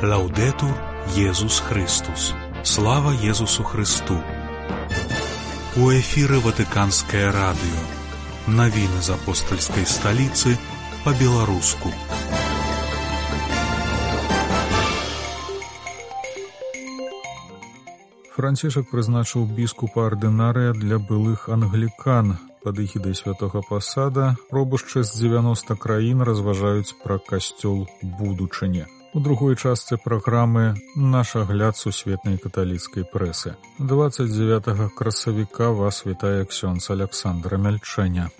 Лаўдэтур Езус Христус. Слава Езусу Христу. У эфіры Ватыканскае радыё. Навіны з апостальскай сталіцы па-беларуску. Францішак прызначыў біскупа ардынарыя для былых англікан. Пад эгідай святога пасада пробушчы з 90 краін разважаюць пра касцёл будучыні. У другой частцы праграмы наш агляд сусветнай каталіцкай прэсы. 29 красавіка вас вітае ксёндз Аляксандра Мяльчэня.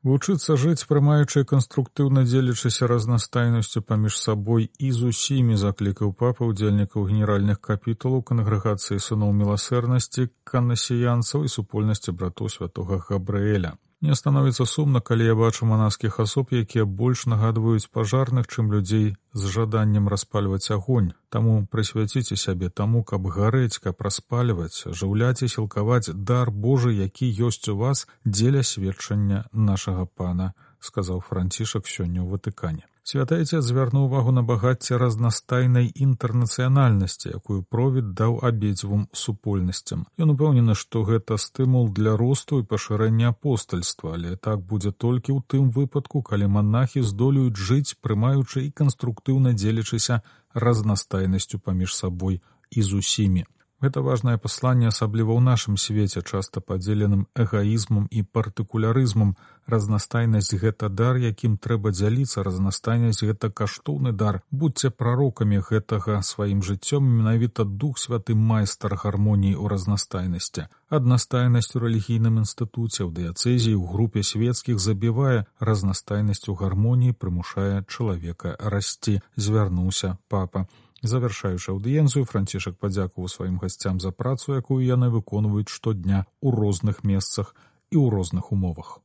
Вучыцца жыць, прымаючы канструктыўна дзелячыся разнастайнасцю паміж сабой і з усімі, заклікаў папа ўдзельнікаў генеральных капітулаў кангрэгацыі сыноў міласэрнасці, канасіянцаў і супольнасці братоў святога Габрыэля. Мне становіцца сумна, калі я бачу манаскіх асоб, якія больш нагадваюць пажарных, чым людзей з жаданнем распальваць агонь. Таму прысвяціце сябе таму, каб гарэць, каб распальваць, жыўляць і сілкаваць дар Божы, які ёсць у вас дзеля сведчання нашага Пана, сказаў Францішак сёння ў Ватыкане. Святы Айцец звярнуў увагу на багацце разнастайнай інтэрнацыянальнасці, якую провід даў абедзвюм супольнасцям. Ён упэўнены, што гэта стымул для росту і пашырэння апостальства, але так будзе толькі ў тым выпадку, калі манахі здолеюць жыць, прымаючы і канструктыўна дзелячыся разнастайнасцю паміж сабой і з усімі. Гэта важнае пасланне, асабліва ў нашым свеце, часта падзеленым эгаізмам і партыкулярызмам. Разнастайнасць — гэта дар, якім трэба дзяліцца, разнастайнасць — гэта каштоўны дар. Будьце прарокамі гэтага сваім жыццём, менавіта Дух Святы майстар гармоніі ў разнастайнасці. Аднастайнасць у рэлігійным інстытуце, ў дыяцэзіі, у групе свецкіх забівае, разнастайнасць у гармоніі прымушае чалавека расці, звярнуўся папа. Завяршаючы аўдыенцыю, Францішак падзякуваў сваім гасцям за працу, якую яны выконваюць штодня ў розных месцах і ў розных умовах.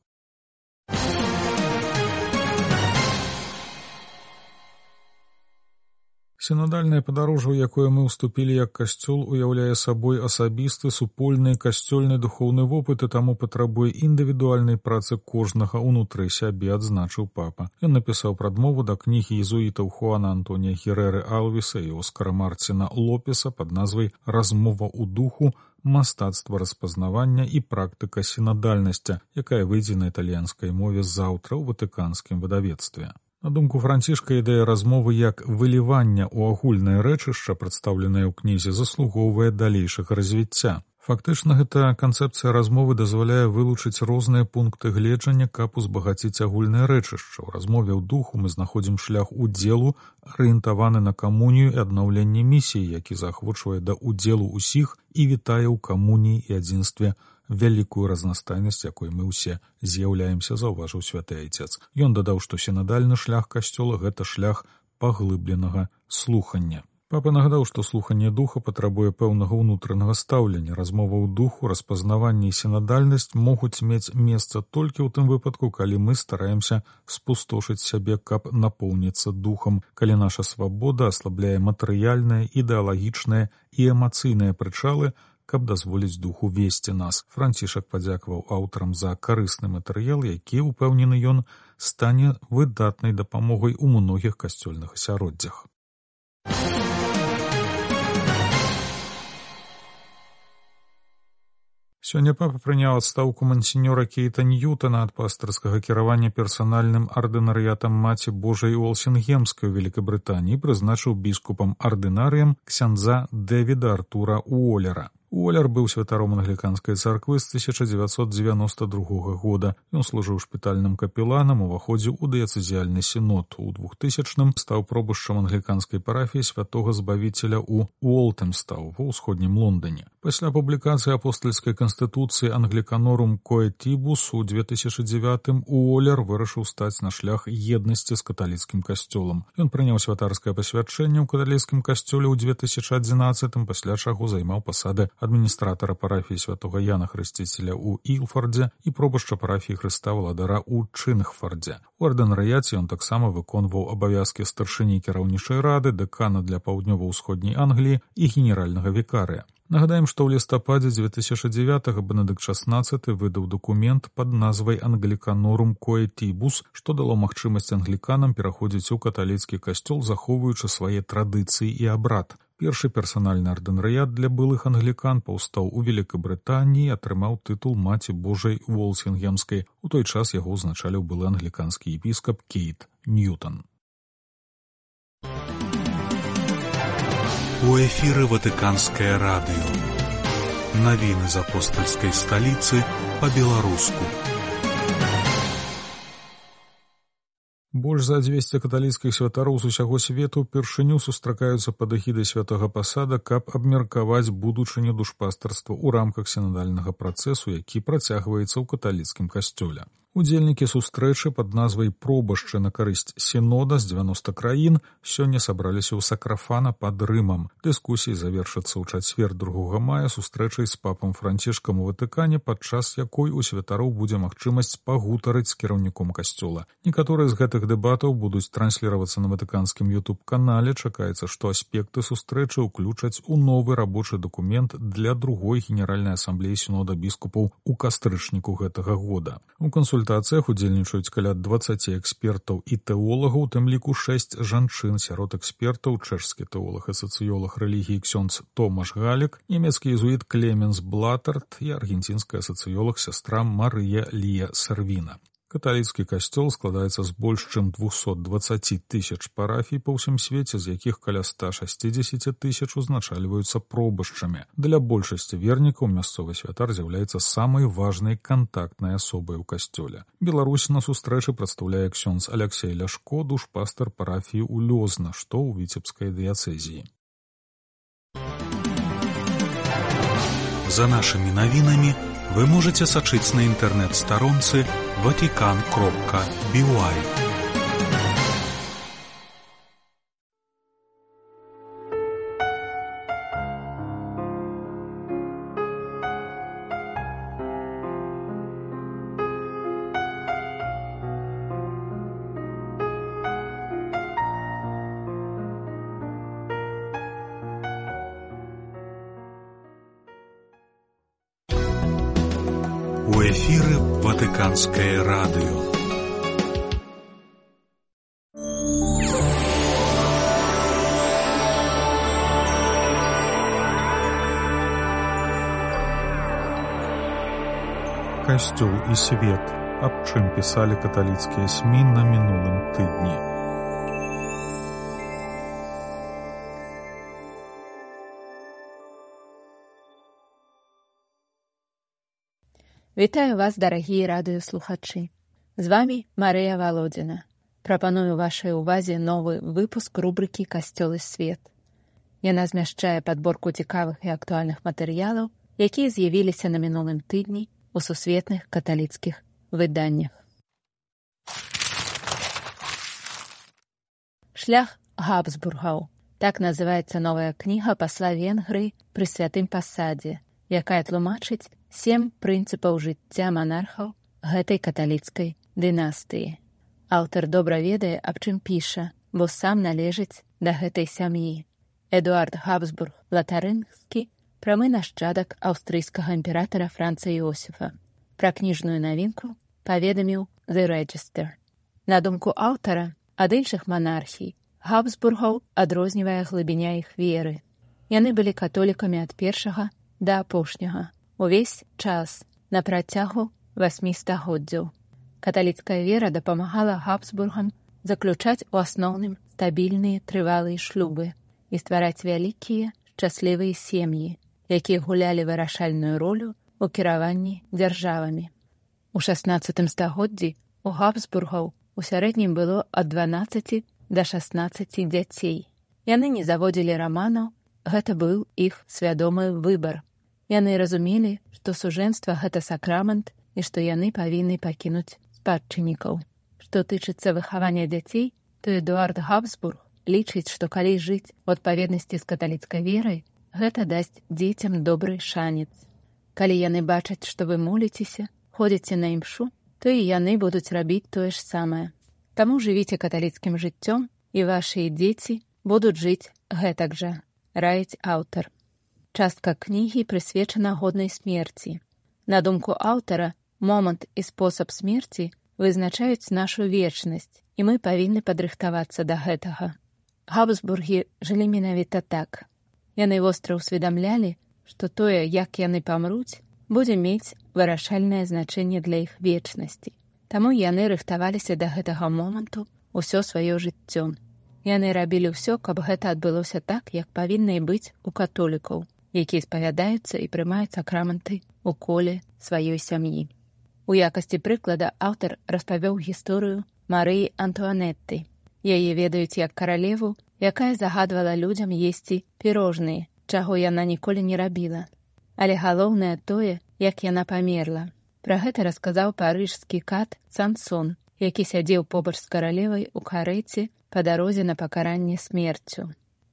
Сінадальнае падарожжа, у якое мы ўступілі як касцёл, уяўляе сабой асабісты, супольны, касцёльны духоўны вопыт і таму патрабуе індывідуальнай працы кожнага ўнутры сябе, адзначыў папа. Ён напісаў прадмову да кнігі езуітаў Хуана Антонія Херэры Алвіса і Оскара Марціна Лопеса пад назвай «Размова ў духу. Мастацтва распазнавання і практыка сінадальнасці», якая выйдзе на італьянскай мове заўтра ў ватыканскім выдавецтве. На думку Францішка, ідэя размовы як вылівання ў агульнае рэчышча, прадстаўленае ў кнізе, заслугоўвае далейшага развіцця. Фактычна, гэта канцэпцыя размовы дазваляе вылучыць розныя пункты гледжання, каб узбагаціць агульнае рэчышча. У размове ў духу мы знаходзім шлях удзелу, арыентаваны на камунію і аднаўленне місіі, які заахвочвае да удзелу ўсіх і вітае ў камуніі і адзінстве вялікую разнастайнасць, якой мы ўсе з'яўляемся, заўважыў святы Айцец. Ён дадаў, што сінадальны шлях касцёла — гэта шлях паглыбленага слухання. Папа нагадаў, што слуханне духа патрабуе пэўнага ўнутранага стаўлення. Размова ў духу, распазнаванне і сінадальнасць могуць мець месца толькі ў тым выпадку, калі мы стараемся спустошыць сябе, каб напоўніцца духам, калі наша свабода аслабляе матэрыяльныя, ідэалагічныя і эмацыйныя прычалы, каб дазволіць духу весці нас. Францішак падзякаваў аўтарам за карысны матэрыял, які, упэўнены ён, стане выдатнай дапамогай у многіх касцёльных асяроддзях. Сёння папа прыняў адстаўку мансіньора Кейта Ньютона ад пастырскага кіравання персанальным ардынарыятам Маці Божай Уолсінгемскай у Великабрытаніі, прызначыў біскупам ардынарыем ксяндза Дэвіда Артура Уоллера. Уоллер быў святаром англіканскай царквы з 1992 года. Ён служыў шпітальным капеланам, уваходзіў у дыяцэзіяльны сінод. У 2000-м стаў пробушчам англіканскай парафіі святога Збавіцеля ў Уолтэмстаў ва ўсходнім Лондоне. Пасля публікацыі апостальскай канстытуцыі Англіканорум Коэтібус у 2009-м Уоллер вырашыў стаць на шлях еднасці з каталіцкім касцёлам. Ён прыняў святарскае пасвячэнне ў каталіцкім касцёле ў 2011-м, пасля чаго займаў пасады адміністратара парафіі святога Яна Хрысціцеля ў Ілфардзе і пробашча парафіі Хрыста Валадара ў Чынгфардзе. У ардынарыяце ён таксама выконваў абавязкі старшыні кіраўнічай рады, дэкана для паўднёва-ўсходняй Англіі і генеральнага вікарыя. Нагадаем, што ў лістападзе 2009-го Бенедыкт XVI выдаў дакумент пад назвай «Англіканорум коэтібус», што дало магчымасць англіканам пераходзіць у каталіцкі касцёл, захоўваючы свае традыцыі і абрад. Першы персанальны ардынарыят для былых англікан паўстаў у Вялікай Брытаніі і атрымаў тытул Маці Божай Уолсінгемскай. У той час яго ўзначаліў былы англіканскі епіскап Кейт Ньютон. У эфіры Ватыканскае радыё. Навіны з апостальскай сталіцы па-беларуску. Больш за 200 каталіцкіх святароў з усяго свету упершыню сустракаюцца пад эгідай святога пасада, каб абмеркаваць будучыню душпастарства ў рамках сінадальнага працэсу, які працягваецца ў каталіцкім касцёле. Удзельнікі сустрэчы пад назвай «Пробашчы на карысць сінода» з 90 краін сёння сабраліся ў Сакрафана пад Рымам. Дыскусіі завершацца ў чацвер 2 мая сустрэчай з папам Францішкам у Ватыкане, падчас якой у святароў будзе магчымасць пагутарыць з кіраўніком касцёла. Некаторыя з гэтых дэбатаў будуць трансліравацца на ватыканскім YouTube-канале. Чакаецца, што аспекты сустрэчы ўключаць у новы рабочы дакумент для другой генеральнай асамблеі сінода біскупаў у кастрычніку гэтага года. У кансультацыях удзельнічаюць каля 20 экспертаў і тэолагаў, у тым ліку 6 жанчын. Сярод экспертаў чэшскі тэолаг і сацыёлаг рэлігіі ксёндз Томаш Галік, нямецкі езуіт Клеменс Блатард і аргенцінская сацыёлаг сястра Марыя Лія Сервіна. Каталіцкі касцёл складаецца з больш чым 220 тысяч парафій па ўсім свеце, з якіх каля 160 тысяч узначальваюцца пробашчамі. Для большасці вернікаў мясцовы святар з'яўляецца самай важнай кантактнай асобай у касцёле. Беларусь на сустрэчы прадстаўляе ксёндз Аляксей Ляшко, душпастар парафіі ў Лёзна, што ў віцебскай дыяцэзіі. За нашымі навінамі вы можете сачыць на інтэрнэт-старонцы vatican.by. У эфіры Ватыканскае радыё. Касцёл і свет. Аб чым пісалі каталіцкія СМІ на мінулым тыдні. Вітаю вас, дарагія радыёслухачы. З вамі Марыя Валодзіна. Прапаную вашай увазе новы выпуск рубрыкі «Касцёл і свет». Яна змяшчае падборку цікавых і актуальных матэрыялаў, якія з'явіліся на мінулым тыдні у сусветных каталіцкіх выданнях. Шлях Габсбургаў. Так называецца новая кніга пасла Венгрыі пры святым пасадзе, якая тлумачыць 7 прынцыпаў жыцця манархаў гэтай каталіцкай дынастыі. Аўтар добра ведае, аб чым піша, бо сам належыць да гэтай сям'і. Эдуард Габсбург Латарынгскі, прамы нашчадак аўстрыйскага імператара Франца Іосіфа. Пра кніжную навінку паведаміў The Register. На думку аўтара, ад іншых манархій Габсбургаў адрознівае глыбіня іх веры. Яны былі католікамі ад першага да апошняга. Увесь час на працягу 8 стагоддзяў. Каталіцкая вера дапамагала Габсбургам заключаць у асноўным стабільныя трывалыя шлюбы і ствараць вялікія шчаслівыя сем'і, якія гулялі вырашальную ролю ў кіраванні дзяржавамі. У 16 стагоддзі у Габсбургаў у сярэднім было ад 12 да 16 дзяцей. Яны не заводзілі раманаў, гэта быў іх свядомы выбар. Яны разумелі, што сужэнства гэта сакрамент і што яны павінны пакінуць спадчыннікаў. Што тычыцца выхавання дзяцей, то Эдуард Габсбург лічыць, што калі жыць у адпаведнасці з каталіцкай верай, Гэта дасць дзецям добры шанец. Калі яны бачаць, што вы моліцеся, ходзіце на імшу, то і яны будуць рабіць тое ж самае. Таму жывіце каталіцкім жыццём, і вашыя дзеці будуць жыць гэтак жа, раіць аўтар. Частка кнігі прысвечана годнай смерці. На думку аўтара, момант і спосаб смерці вызначаюць нашу вечнасць, і мы павінны падрыхтавацца да гэтага. Габсбургі жылі менавіта так. Яны востра ўсведамлялі, што тое, як яны памруць, будзе мець вырашальнае значэнне для іх вечнасці. Таму яны рыхтаваліся да гэтага моманту ўсё сваё жыццё. Яны рабілі ўсё, каб гэта адбылося так, як павінна і быць у католікаў, якія спавядаюцца і прымаюць сакраманты ў коле сваёй сям'і. У якасці прыклада аўтар распавёў гісторыю Марыі Антуанетты. Яе ведаюць як каралеву, якая загадвала людзям есці пірожныя, чаго яна ніколі не рабіла. Але галоўнае тое, як яна памерла. Пра гэта расказаў парыжскі кат Сансон, які сядзеў побач з каралевай у карэце па дарозе на пакаранне смерцю.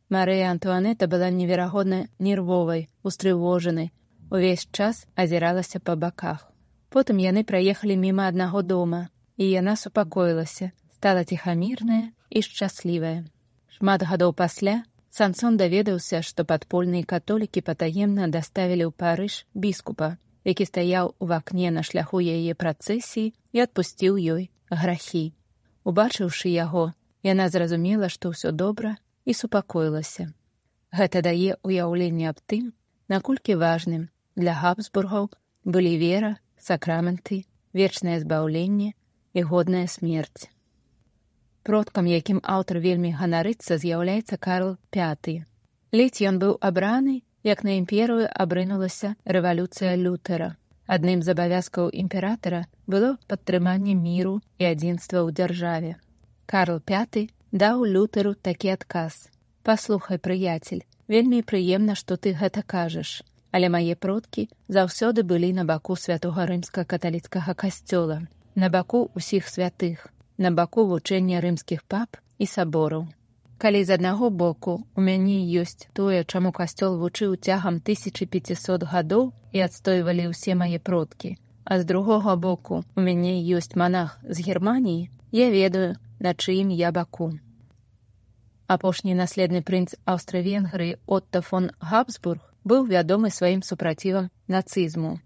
Марыя Антуанетта была неверагодна нервовай, устрывожанай, увесь час азіралася па баках. Потым яны праехалі міма аднаго дома, і яна супакоілася, стала ціхамірная і шчаслівая. Шмат гадоў пасля Сансон даведаўся, што падпольныя католікі патаемна даставілі ў Парыж біскупа, які стаяў у вакне на шляху яе працэсіі і адпусціў ёй грахі. Убачыўшы яго, яна зразумела, што ўсё добра, і супакоілася. Гэта дае ўяўленне аб тым, наколькі важным для Габсбургаў былі вера, сакраманты, вечнае збаўленне і годная смерць. Продкам, якім аўтар вельмі ганарыцца, з'яўляецца Карл V. Ледзь ён быў абраны, як на імперыю абрынулася рэвалюцыя Лютера. Адным з абавязкаў імператара было падтрыманне міру і адзінства ў дзяржаве. Карл V даў Лютеру такі адказ. «Паслухай, прыяцель, вельмі прыемна, што ты гэта кажаш, але мае продкі заўсёды былі на баку святога рымска-каталіцкага касцёла, на баку ўсіх святых, на баку вучэння рымскіх пап і сабораў. Калі з аднаго боку у мяне ёсць тое, чаму касцёл вучыў цягам 1500 гадоў і адстойвалі ўсе мае продкі, а з другога боку у мяне ёсць манах з Германіі, я ведаю, на чыім я баку». Апошні наследны прынц Аўстра-Венгрыі Отто фон Габсбург быў вядомы сваім супрацівам нацызму.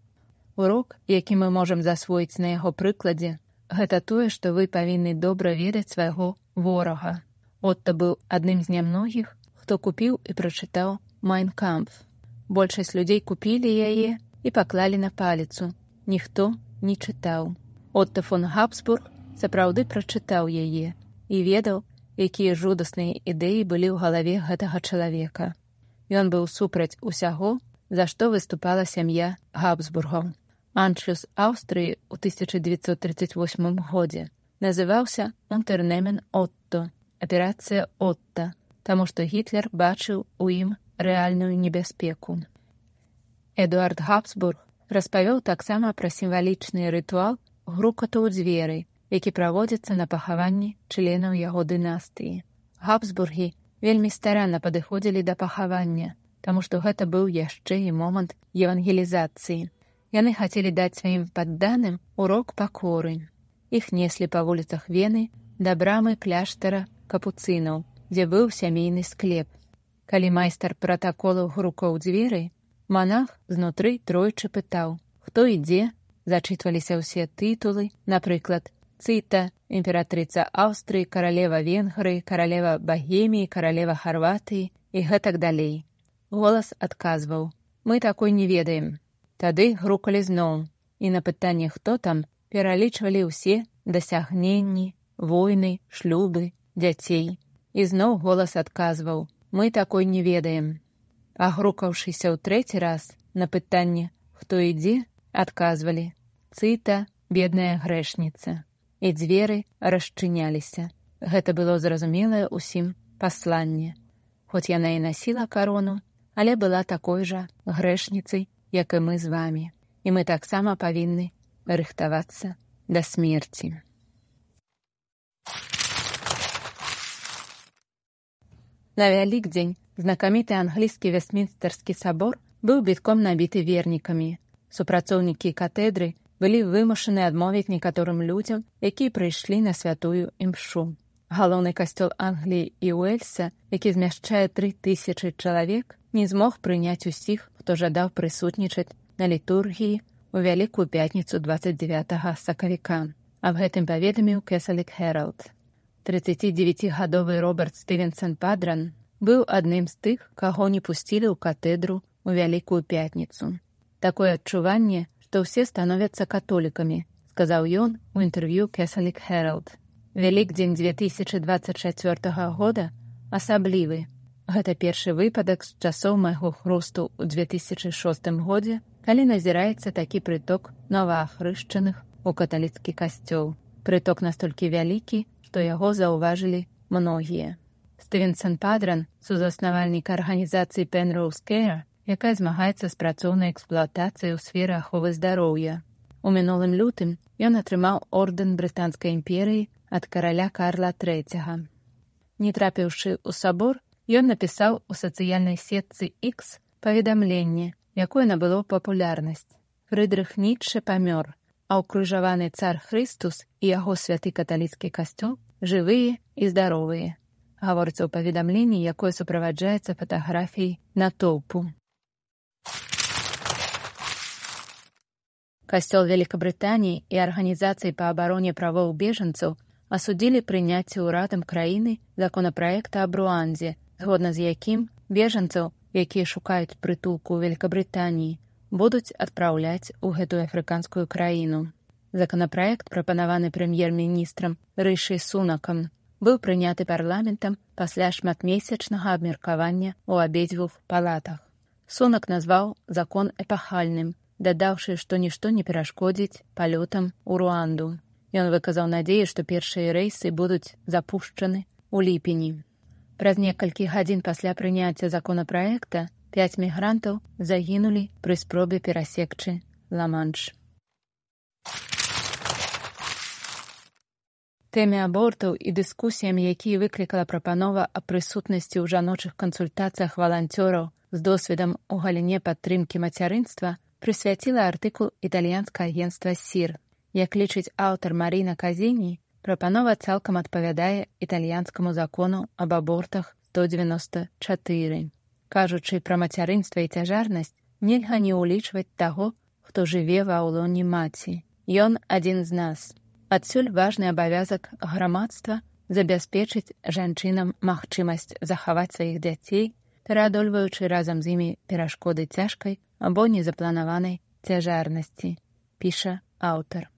Урок, які мы можам засвоіць на яго прыкладзе, гэта тое, што вы павінны добра ведаць свайго ворага. Отто быў адным з нямногіх, хто купіў і прачытаў «Майн кампф». Большасць людзей купілі яе і паклалі на паліцу. Ніхто не чытаў. Отто фон Габсбург сапраўды прачытаў яе і ведаў, якія жудасныя ідэі былі ў галаве гэтага чалавека. Ён быў супраць усяго, за што выступала сям'я Габсбургаў. Аншлюс Аўстрыі ў 1938 годзе называўся «Унтернемен Отто» – «Аперацыя Отто», таму што Гітлер бачыў у ім рэальную небяспеку. Эдуард Габсбург распавёў таксама пра сімвалічны рытуал грукату ў дзверы, які праводзіцца на пахаванні членаў яго дынастыі. Габсбургі вельмі старанна падыходзілі да пахавання, таму што гэта быў яшчэ і момант евангелізацыі. Яны хацелі даць сваім падданым урок пакоры. Іх неслі па вуліцах Вены да брамы кляштара капуцынаў, дзе быў сямейны склеп. Калі майстар пратаколаў грукаў дзверы, манах знутры тройчы пытаў, хто ідзе, зачытваліся ўсе тытулы, напрыклад, Цита, імператрыца Аўстрыі, каралева Венгрыі, каралева Багеміі, каралева Харватыі і гэтак далей. Голас адказваў: «Мы такой не ведаем». Тады грукалі зноў, і на пытанне «Хто там?» пералічвалі ўсе дасягненні, войны, шлюбы, дзяцей. І зноў голас адказваў: «Мы такой не ведаем». Агрукаўшыся ў трэці раз на пытанне «Хто ідзе?» адказвалі: «Цита, бедная грэшніца». І дзверы расчыняліся. Гэта было зразумелае ўсім пасланне. Хоць яна і насіла карону, але была такой жа грэшніцай, як і мы з вамі. І мы таксама павінны рыхтавацца да смерці. На Вялікдзень знакаміты англійскі Вестмінстэрскі сабор быў бітком набіты вернікамі. Супрацоўнікі катедры былі вымушаны адмовіць некаторым людзям, якія прыйшлі на святую імшу. Галоўны касцёл Англіі і Уэльса, які змяшчае 3000 чалавек, не змог прыняць усіх, хто жадаў прысутнічаць на літургіі у Вялікую пятніцу 29 сакавіка. Аб гэтым паведаміў Кесалік Хэралд. 39-гадовы Роберт Стывенсон Падран быў адным з тых, каго не пусцілі ў катэдру у Вялікую пятніцу. Такое адчуванне, што ўсе становяцца католікамі, сказаў ён у інтэрв'ю Кесалік Хэралд. Вялікдзень 2024 года асаблівы. Гэта першы выпадак з часоў майго хрусту ў 2006 годзе, калі назіраецца такі прыток новаахрышчаных у каталіцкі касцёл. Прыток настолькі вялікі, што яго заўважылі многія. Стывенсон Падран, сузаснавальнік арганізацыі Penrose Care, якая змагаецца з працоўнай эксплуатацыяй у сферы аховы здароўя. У мінулым лютым ён атрымаў ордэн Брытанскай імперыі ад караля Карла III. Не трапіўшы ў сабор, ён напісаў у сацыяльнай сетцы X паведамленне, якое набыло папулярнасць. Фрыдрых Ніцшэ памёр, а ўкрыжаваны цар Хрыстус і яго святы каталіцкі касцёл жывыя і здаровыя. Гаворыцца ў паведамленні, якое суправаджаецца фатаграфіяй натоўпу. Касцёл Великабрытаніі і арганізацыі па абароне правоў бежанцаў асудзілі прыняцце ўрадам краіны законапраекта аб Руандзе, згодна з якім бежанцаў, якія шукаюць прытулку ў Великабрытаніі, будуць адпраўляць у гэтую афрыканскую краіну. Законапраект, прапанаваны прэм'ер-міністрам Рышы Сунакам, быў прыняты парламентам пасля шматмесячнага абмеркавання ў абедзвюх палатах. Сунак назваў закон эпахальным, дадаўшы, што нішто не перашкодзіць палётам у Руанду. Ён выказаў надзею, што першыя рэйсы будуць запушчаны ў ліпені. Праз некалькі гадзін пасля прыняцця законапраекта 5 мігрантаў загінулі пры спробе перасекчы Ла-Манш. Тэме абортаў і дыскусіям, якія выклікала прапанова аб прысутнасці ў жаночых кансультацыях валанцёраў з досведам у галіне падтрымкі мацярынства, прысвяціла артыкул італьянскае агенцтва СІР. Як лічыць аўтар Маріна Казіні, прапанова цалкам адпавядае італьянскаму закону аб абортах 194. Кажучы пра мацярынства і цяжарнасць, нельга не ўлічваць таго, хто жыве ва ўлоне маці. Ён адзін з нас. Адсюль важны абавязак грамадства забяспечыць жанчынам магчымасць захаваць сваіх дзяцей, пераадольваючы разам з імі перашкоды цяжкай або незапланаванай цяжарнасці, піша аўтар.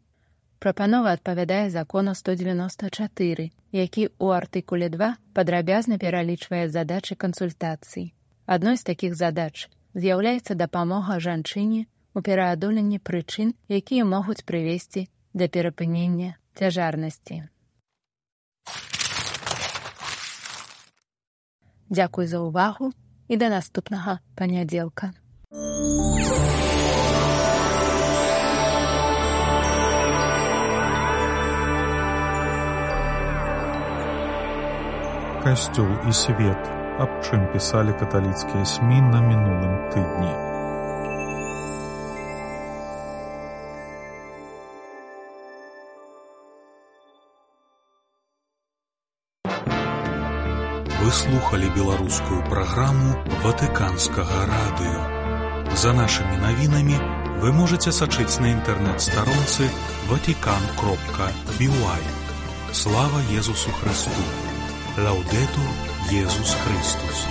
Прапанова адпавядае закону 194, які ў артыкуле 2 падрабязна пералічвае задачы кансультацый. Адной з такіх задач з'яўляецца дапамога жанчыне ў пераадоленні прычын, якія могуць прывесці да перапынення цяжарнасці. Дзякуй за ўвагу і да наступнага панядзелка. Касцёл і свет. Аб чым пісалі каталіцкія СМІ на мінулым тыдні. Вы слухали беларускую праграму Ватыканскага радыё. За нашымі навінамі вы можаце сачыць на інтэрнэт-старонцы vatican.by. Слава Езусу Христу! Лаудетур Езус Христус!